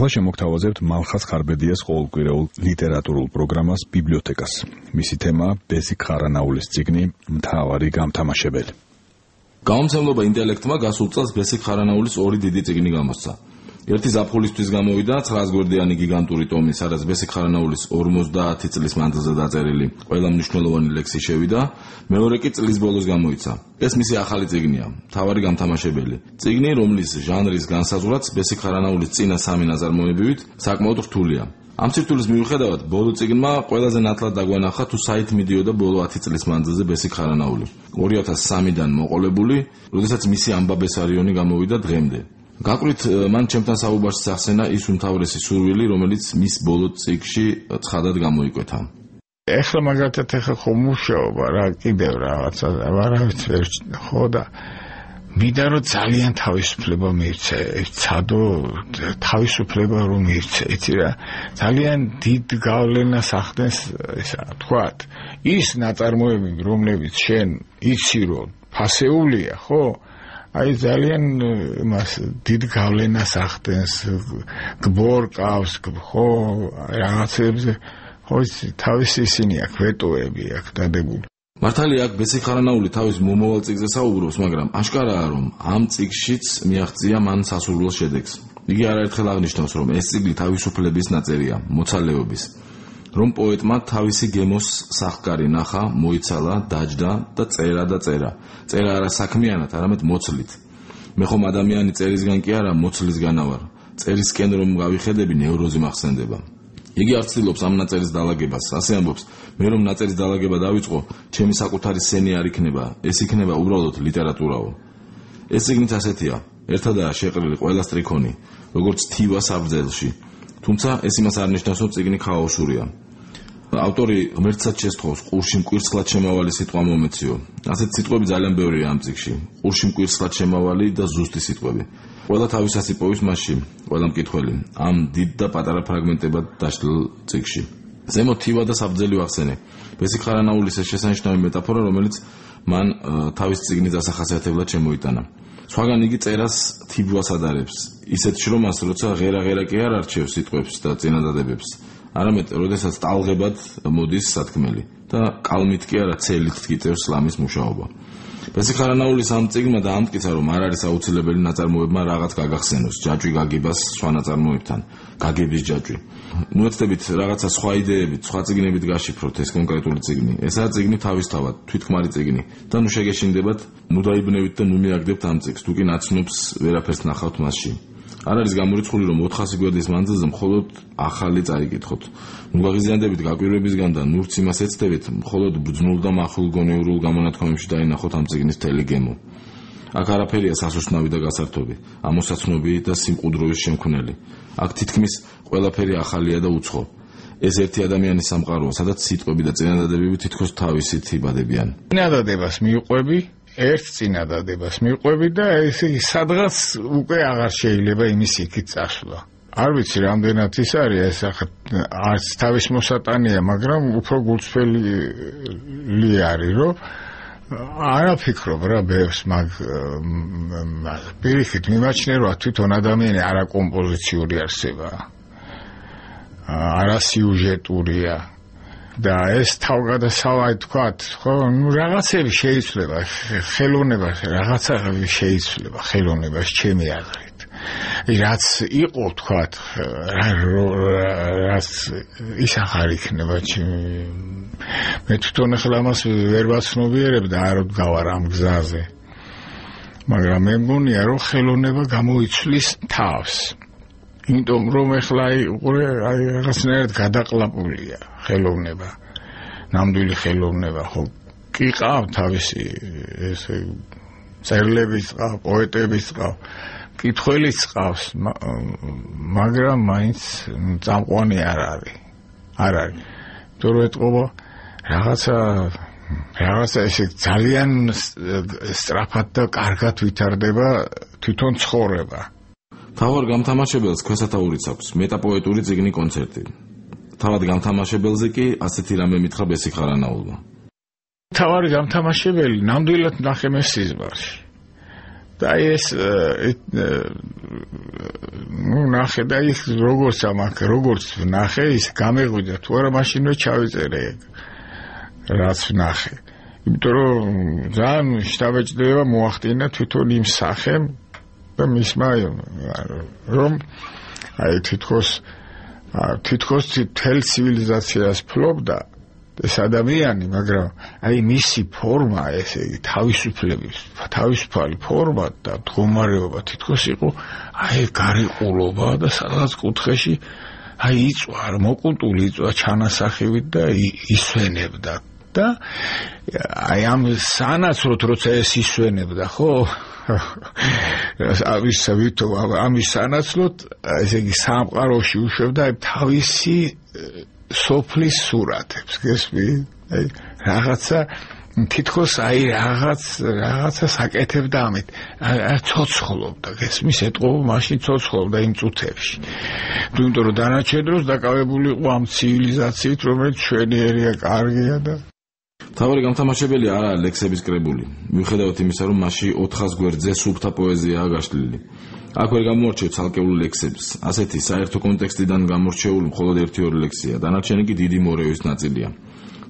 ახლა შემოგთავაზებთ მალხაზ ხარბედიას ყოველკვირეულ ლიტერატურულ პროგრამას ბიბლიოთეკას. მისი თემაა ბესიკ ხარანაულის წიგნი მთავარი გამთამაშებელი. გამომცემლობა ინტელექტმა გასულ წელს ბესიკ ხარანაულის ორი დიდი წიგნი გამოსცა. ერთი ზაფხულისთვის გამოვიდა 900 გვერდიანი გიგანტური ტომი, სადაც ბესიკ ხარანაულის 50 წლის მანძილზე დაწერილი ყველა მნიშვნელოვანი ლექსი შევიდა, მეორე კი წლის ბოლოს გამოიცა. ეს მისი ახალი წიგნია, მთავარი გამთამაშებელი. წიგნი, რომლის ჟანრის განსაზღვრაც ბესიკ ხარანაულის წინა სამი ნაწარმოებივით საკმაოდ რთულია. ამ სირთულის მიუხედავად, ბოლო წიგნმა ყველაზე ნათლად დაგვანახა თუ საით მიდიოდა ბოლო 10 წლის მანძილზე ბესიკ ხარანაული. 2003-დან მოყოლებული, როდესაც მისი ამბაბესარიონი გამოვიდა დღემდე. გაკვირით მან ჩემთან საუბარში სახსენა ის უმთავრესი სურვილი, რომელიც მის ბოლო წიგნში ცხადად გამოიკვეთა. ეხლა მაგათაც ხო მუშაობა რა კიდევ რაღაცა ვარავით ვერ ხო და მინდა რომ ძალიან თავისუფლება მიირჩე, ცადო თავისუფლება რომ მიირჩე, იცი რა, ძალიან დიდ გავლენას ახდენს ისა თქვათ, ის ნაწარმოები, რომლებიც შენ იცი რომ ფასეულია, ხო? აი ძალიან მას დიდ გავლენას ახდენს, გბორკავს, ხო, რაღაცებზე, ხო, თავისი ისინი აქვს, ვეტოები აქვს დადებული. მართალია აქ ბესიკ ხარანაული თავის მომავალ წიგნზე საუბრობს, მაგრამ აშკარაა რომ ამ წიგნშიც მიაღწია მან სასურველ შედეგს. იგი არაერთხელ აღნიშნავს, რომ ეს წიგნი თავისუფლების ნაწერია, მოცალეობის. რომ პოეტმა თავისი გემოს სახკარი ნახა, მოიცალა, დაჯდა და წერა. წერა არა საქმიანად, არამედ მოცლით. მე ხომ ადამიანი წერისგან კი არა, მოცლისგანა ვარ. წერისკენ რომ გავიხედები, ნევროზი მახსენდება. იგი არ ცდილობს ამ ნაწერის დალაგებას, ასე ამბობს, მე რომ ნაწერის დალაგება დავიწყო, ჩემი საკუთარი სენი არ იქნება, ეს იქნება უბრალოდ ლიტერატურაო. ეს წიგნიც ასეთია, ერთადაა შეყრილი ყველა სტრიქონი, როგორც თივა საბრძელში. თუმცა ეს იმას არ ნიშნავს, რომ წიგნი ქაოსურია. ავტორი ღმერთსაც შესთხოვს ყურში მკვირცხლად შემავალი სიტყვა მომეციო. ასეთ სიტყვები ძალიან ბევრია ამ წიგნში. ყურში მკვირცხლად შემავალი და ზუსტი სიტყვები. ყველა თავისას იპოვის მასში, ყველა მკითხველი, ამ დიდ და პატარა ფრაგმენტებად დაშლილ წიგნში. ზემოთ თივა და საბრძელი ვახსენე. ბესიკ ხარანაულის ეს შესანიშნავი მეტაფორა, რომელიც მან თავის წიგნის დასახასიათებლად შემოიტანა. სხვაგან იგი წერას თიბვას ადარებს, ისეთ შრომას, როცა ღერა კი არ არჩევს სიტყვებს და წინადადებებს, არამედ როდესაც ტალღებად მოდის სათქმელი და კალმით კი არა ცელით ткиწევს სლამის მუშაობა. ბესიკ ხარანაულის ამ წიგნმა დაამტკიცა, რომ არ არის აუცილებელი ნაწარმოებმა რაღაც გაგახსენოს, ჯაჭვი გაგებას სხვა ნაწარმოებთან, გაგების ჯაჭვი. მოეცდებით რაღაცა სხვა იდეებით, სხვა წიგნებით გაშიფროთ ეს კონკრეტული წიგნი. ესაა წიგნი თავისთავად, თვითქმარი წიგნი და ნუ შეგეშინდებათ, ნუ დაიბნევით და ნუ მიაგდებთ ამ წიგნს, თუ კი ნაცნობს ვერაფერს ნახავთ მასში. არ არის გამორიცხული, რომ 400 გვერდის მანძილზე მხოლოდ ახალი წაიკითხოთ. ნუ გაღიზიანდებით გაკვირვებისგან და ნურც იმას ეცდებით, მხოლოდ ბრძნულ და მახვილ გონეურულ გამონათქვამებში დაინახოთ ამ წიგნის მთელი გემო. აქ არაფერია სასუსტნავი და გასართობი, ამოსაცნობი და სიმყუდროვის შემქმნელი. აქ თითქმის ყველაფერი ახალია და უცხო. ეს ერთი ადამიანის სამყაროა, სადაც სიტყვები და წინადადებები თითქოს თავისით იბადებიან. წინადადებას მიყვები, ერთ წინადადებას მიყვები და ესე სადღაც უკვე აღარ შეიძლება იმის იქით წასვლა. არ ვიცი რამდენად ის არის, ეს არც თავის მოსატანია, მაგრამ უფრო გულწრფელი არის, რომ არა ფიქრობ რა ბევრს, მაგ პირიქით მიმაჩნია, რომ თვითონ ადამიანი არა კომპოზიციური არსებაა, არა სიუჟეტურია და ეს თავგადასავალი თქვათ, ხო, ნუ რაღაცები შეიძლება, ხელოვნება რაღაცა შეიძლება, ხელოვნებას ჩემი აზრით. რაც იყო თქვათ, რაც ის აღარ იქნება მე თვითონ ახლა ამას ვერ ვაცნობიერებ და არ ვდგავარ ამ გზაზე. მაგრამ მე მგონია, რომ ხელოვნება გამოიცვლის თავს. იმიტომ რომ ახლა რაღაცნაირად გადაყლაპულია ხელოვნება, ნამდვილი ხელოვნება, ხო, კი ყავ თავისი ესე წერლების ყავ, პოეტების ყავ, მკითხველიც ყავს, მაგრამ მაინც წამყვანი არ არის. იმიტომ რომ ეთყობა რაღაცა ესე ძალიან სწრაფად და კარგად ვითარდება თვითონ ცხოვრება. თავარ გამთამაშებელს ქვესათაურიც აქვს მეტაპოეტური წიგნი კონცერტი. თავად გამთამაშებელზე კი ასეთი რამე მითხრა ბესიკ ხარანაულმა. თავარი გამთამაშებელი ნამდვილად ნახე მე სიზმარში. და ეს ნახე და ის როგორც ნახე ის გამეღვიდა თუ არა მაშინვე ჩავიწერე რაც ნახე იმიტომ რომ ძალიან შთაბეჭდება მოახდინა თვითონ იმ სახემ და მისმა რომ აი თითქოს თელ ცივილიზაციას ფლობდა ეს ადამიანი, მაგრამ აი მისი ფორმა, ესე იგი თავისუფლების, თავისუფალი ფორმა და მდგომარეობა თითქოს იყო აი გარიყულობა და სადღაც კუთხეში აი იწვა, არ მოკუნტული იწვა ჩანასახივით და ისვენებდა და აი ამ სანაცვლოდ როცა ეს ისვენებდა, ხო? ამის სანაცვლოდ ესე იგი სამყაროში უშვებდა აი თავისი სოფლის სურათებს, გესმი? აი რაღაცა თითქოს აი რაღაცას აკეთებდა ამით. აი ცოცხლობდა, გესმის? ეტყობა მაშინ ცოცხლობდა იმ წუთებში. იმიტომ რომ დანარჩენ დროს დაკავებული იყო ამ ცივილიზაციით, რომელიც შვენიერია, კარგია და თავი გამთამაშებელი არა ლექსების კრებული. მიუხედავად იმისა, რომ მასში 400 გვერდზე სუფთა პოეზიაა გაშლილი. აქ ვერ გამორჩევ ცალკეულ ლექსებს. ასეთი საერთო კონტექსტიდან გამორჩეული მხოლოდ 1-2 ლექსია. დანარჩენი კი დიდი მორევის ნაწილია.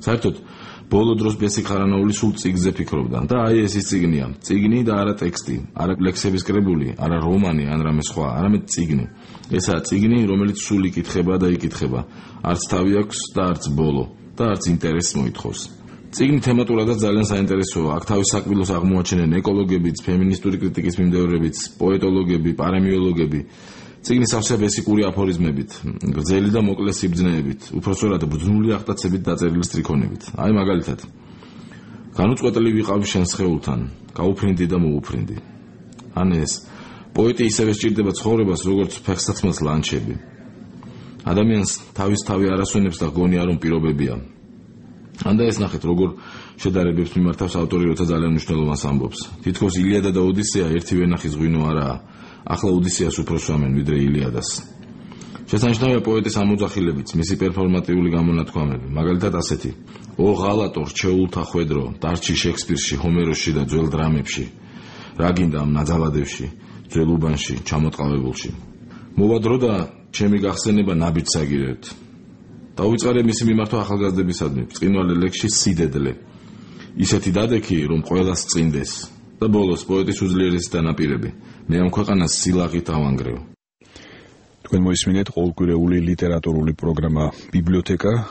საერთოდ ბოლო დროს ბესიკ ხარანაული სულ წიგნზე ფიქრობდა და აი ეს ის წიგნია. წიგნი და არა ტექსტი, არა ლექსების კრებული, არა რომანი, ან რამე სხვა, არამედ წიგნი. ესაა წიგნი, რომელიც სულ იკითხება და იკითხება. არც თავი აქვს და არც ბოლო და არც ინტერესს მოითხოვს. წიგნი თემატურადაც ძალიან საინტერესოა. აქ თავის საკბილოს აღმოაჩენენ ეკოლოგებიც, ფემინისტური კრიტიკის მიმდევრებიც, პოეტოლოგები, პარემიოლოგები. წიგნი სავსე ბესიკური აფორიზმებით, გრძელი და მოკლე სიბრძნეებით, უпроსორად ბრძნული აღტაცებით დაწერილი სტრიქონებით. აი მაგალითად. განუწყვეტლივ ვიყავ შენ სხეულთან, გაუფრინდი და მოუფრინდი. ან ეს პოეტი ისევე სჭირდება ცხოვრებას, როგორც ფეხსაცმელს ლანჩები. ადამიანს თავი არასვენებს და გონია რომ პირობებია. ანდა ეს ნახეთ როგორ შედარებებს მიმართავს ავტორი როცა ძალიან მნიშვნელოვანს ამბობს. თითქოს ილიადა და ოდისეა ერთივე ნახის ღვინო არაა. ახლა ოდისეას უფრო სვამენ ვიდრე ილიადას. შესანიშნავია პოეტის ამოძახილებიც, მისი პერფორმატიული გამონათქვამები, მაგალითად ასეთი: ო ღალატო რჩეულთა ხვედრო, დარჩი შექსპირში, ჰომეროსში და ძველ დრამებში. რა გინდა ამ ნაძალადებში, ძველ უბანში, ჩამოტყავებულში. მოვა დრო და ჩემი გახსენება ნაბიჯ საგირებთ. დაუვიწყარებ მისი მიმართვა ახალგაზრდებისადმი, ბრწყინვალე ლექსში სიდედლე. ისეთი დადექი, რომ ყველას წინდეს და ბოლოს პოეტის უძლიერესი დანაპირები. მე ამ ქვეყანას სილაღით ავანგრევ. თქვენ მოისმინეთ ყოველკვირეული ლიტერატურული პროგრამა ბიბლიოთეკა,